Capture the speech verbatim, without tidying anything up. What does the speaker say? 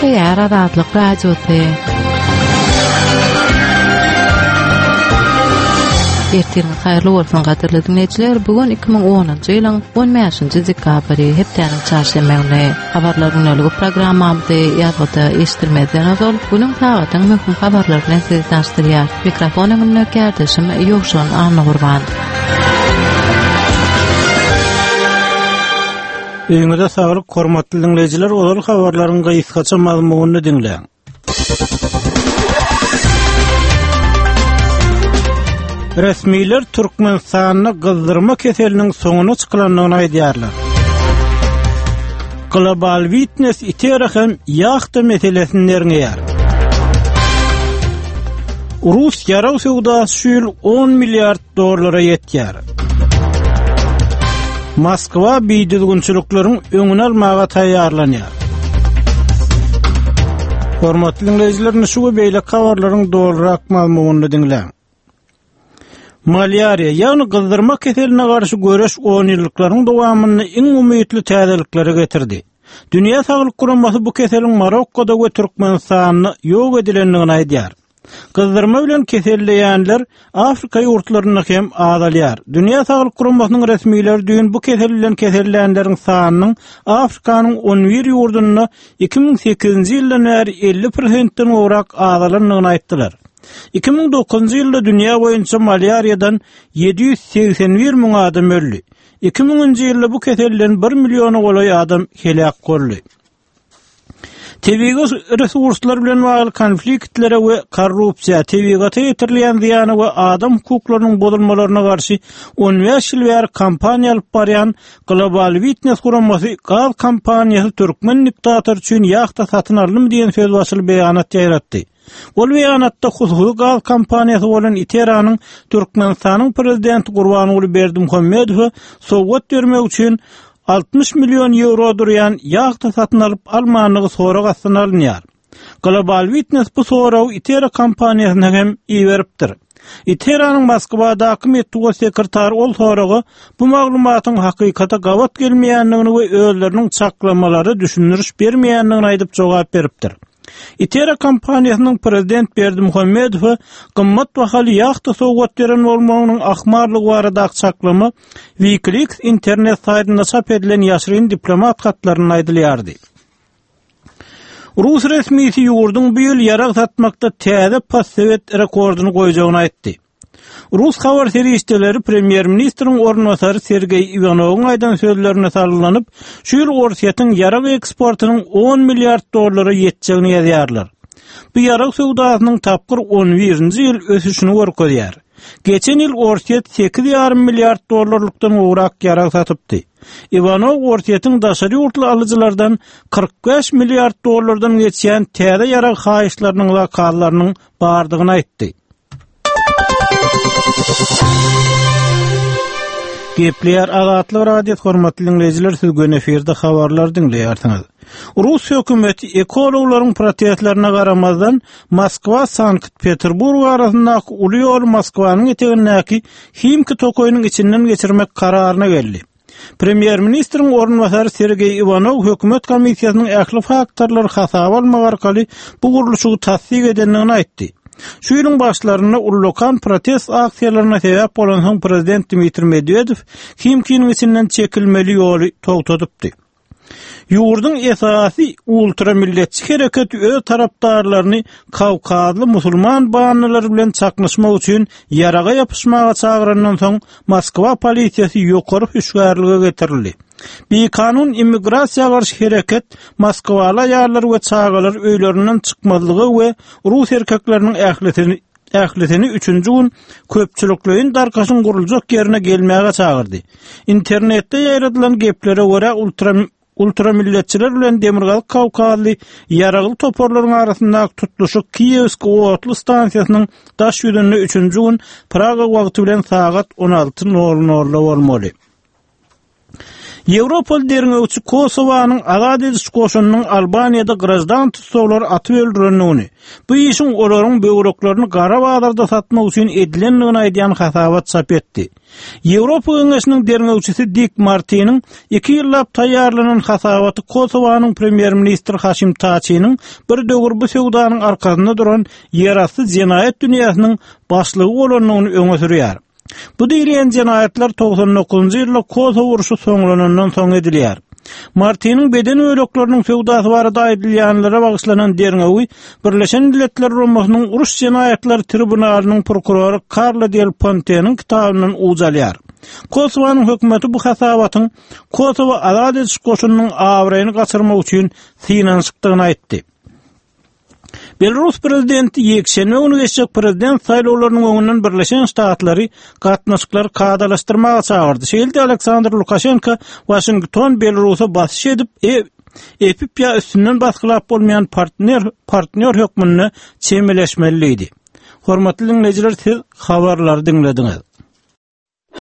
Gepleýär Azatlyk Radiosy. Ertiriňiz haýyrly bolsun gadyrly diňleýjiler. Bu gün iki müň onunjy ýylyň on bäşinji dekabry, hepdäniň çarşenbe güni. Habarlar günlügi programmamyzy ýazgyda eşitdirmezden ozal günüň sagatyň möhüm habarlary bilen sizi tanyşdyrýar. Mikrofon öňünde kärdeşim Ýowşan Annagurban. Öýüňize saglyk, hormatly diňleýjiler, ozal habarlaryň gysgaça mazmunyny diňläň. Resmiler Türkmenistanda gyzdyrma keseliniň soňuna çykylandygyny aýdýarlar. Global Witness Itera hem ýahta meselesini derňeýär. Rus ýarag söwdasy şu ýyl on milliard dollara ýetýär. Moskwa bidüzgünçilikleriň öňüni almaga taýýarlanýar. Hormatly diňleýjiler, şu we beýleki habarlaryň dolurak mazmunyny diňläň. Malýariýa, ýagny gyzdyrma keseline garşy göreş on ýyllyklaryň dowamynda iň umytly täzelikleri getirdi. Dünýä Saglyk Guramasy bu keseliň Marokkoda we Türkmenistanda ýok edilendigini aýdýar. Gyzdyrma bilen keselleýänler Afrika ýurtlarynda hem azalýar. Dünýä Saglyk Guramasynyň resmileri düýn bu kesel bilen kesellänleriň sanynyň Afrikanyň on bir ýurdunda iki müň sekizinji ýyldan bäri elli prosentden gowrak azalandygyny aýtdylar. Iki müň dokuzynjy ýylda dünýä boýunça malýariýadan ýedi ýüz segsen bir müň adam öldi. Iki müňünji ýylda bu keselden bir milliona golaý adam heläk boldy. Tebigy resurslar bilen bagly konfliktlere we korrupsiýa, tebigata ýetirilýän zyýana we adam hukuklarynyň bozulmalaryna garşy on bäş ýyl bäri kampaniýa alyp barýan Global Witness guramasy gaz kompaniýasy türkmen diktatory üçin ýahta satyn aldymy diýen söz başyly beýanat ýaýratdy. Ol beýanatda hususy gaz kompaniýasy bolan Iteranyň Türkmenistanyň prezidenti Gurbanguly Berdimuhamedowa sowgat bermek üçin altmyş million ýewro durýan ýahta satyn alyp almandygy sorag astyna alynýar. Global Witness bu soragy Itera kompaniýasyna hem iberipdir. Iteranyň Moskwadaky metbugat sekretary ol soraga bu maglumatyň hakykata gabat gelmeýändigini we özleriniň çaklamalary düşündiriş bermeýändigini aýdyp jogap beripdir. Itera kompaniýasynyň prezident Berdimuhamedowa gymmat bahaly ýahta sowgat beren bolmagynyň ahmallygy baradaky çaklama WikiLeaks internet saýtynda çap edilen ýaşyryn diplomat hatlarynda aýdylýardy. Rus resmisi ýurduň bu ýyl ýarag satmakda täze postsovet rekordyny goýjagyny aýtdy. Rus habar serişdeleri premýer-ministriň orunbasary Sergeý Iwanowyň aýdan sözlerine salgylanyp, şu ýyl Orsýetiň ýarag eksportynyň on milliard dollara ýetjegini ýazýarlar. Bu ýarag söwdasynyň tapgyr on birinji ýyl ösüşini görkezýär. Geçen ýyl Orsýet sekiz ýarym milliard dollarlykdan gowrak ýarag satypdy. Iwanow Orsýetiň daşary ýurtly alyjylardan kyrk bäş milliard dollardan geçýän täze ýarag haýyşlarynyň zakallarynyň bardygyny aýtdy. Gepleýär Azatlyk Radiosy, hormatly diňleýjiler, siz gün efirde habarlar diňleýärsiňiz. Rus hökümeti ekologlaryň protestlerine garamazdan Moskwa Sankt-Peterburg arasyndaky uly ýoly Moskwanyň etegindäki Himki tokaýynyň içinden geçirmek kararyna geldi. Premýer-ministriň orunbasary Sergeý Iwanow hökümet komissiýasynyň ähli faktorlary hasaba almak arkaly bu gurluşygy tassyk edendigini aýtdy. Şu ýylyň başlarynda ullakan protest aksiýalaryna sebäp bolansoň prezident Dmitriý Medwedew Himkiniň içinden çekilmeli ýoly togtadypdy. Ýurduň esasy ultramilletçi hereketi öz tarapdarlaryny Kawkazly musulman bandalary bilen çaknyşmak üçin ýaraga ýapyşmaga çagyrandan soň Moskwa polisiýasy ýokary hüşgärlige getirildi. Bikanun immigrasiýa garşy hereket Moskwaly aýallar we çagalar öýlerinden çykmazlygy we rus erkekleriniň ählisini, ählisini üçünji gün köpçülikleýin darkaşyň guruljak ýerine gelmäge çagyrdy. Internetde ýaýradylan geplere görä ultra, ultramilletçiler bilen Demirgazyk Kawkazly ýaragly toparlaryň arasyndaky tutluşyk Kiýewsk otly stansiýasynyň daş ýüzünde üçünji gün Praga wagty bilen sagat on alty nol nolda bolmaly. Ýewropaly derňewçi Kosowanyň Azat ediş goşunynyň Albaniýada graždan tussaglary atyp öldürendigini, bu işiň olaryň böwreklerini gara bazarda satmak üçin edilendigini aýdýan hasabat çap etdi. Ýewropa Geňeşiniň derňewçisi Dik Martiniň iki ýyllap taýýarlanan hasabaty Kosowanyň premýer-ministri Haşim Taçiniň bir döwür bu söwdanyň arkasynda duran ýerasty jenaýat dünýäsiniň başlygy bolandygyny öňe sürýär. Bu diýilýän jenaýatlar togsan dokuzynjy ýylda Kosowo urşy soňlanandan soň edilýär. Martiniň beden bölekleriniň söwdasy barada aýdylýanlara bagyşlanan derňewi Birleşen Milletler Guramasynyň uruş jenaýatlary tribunalynyň prokurory Karla Del Ponteniň kitabyndan uç alýar. Kosowanyň hökümeti bu hasabatyň Kosowo azat ediş goşunynyň abraýyny gaçyrmak üçin synanyşykdygyny aýtdy. Belarus prezidenti ýekşenbe güni geçjek prezident saýlawlarynyň öňünden Birleşen Ştatlary gatnaşyklary kadalaşdyrmaga çagyrdy. Şeýle-de Aleksandr Lukaşenko Waşington Belarusa basyş edip, e, epip ýa üstünden basgylap bolmaýan partner, partnýor hökmünde çemeleşmeli diýdi. Hormatly diňleýjiler, siz habarlary diňlediňiz.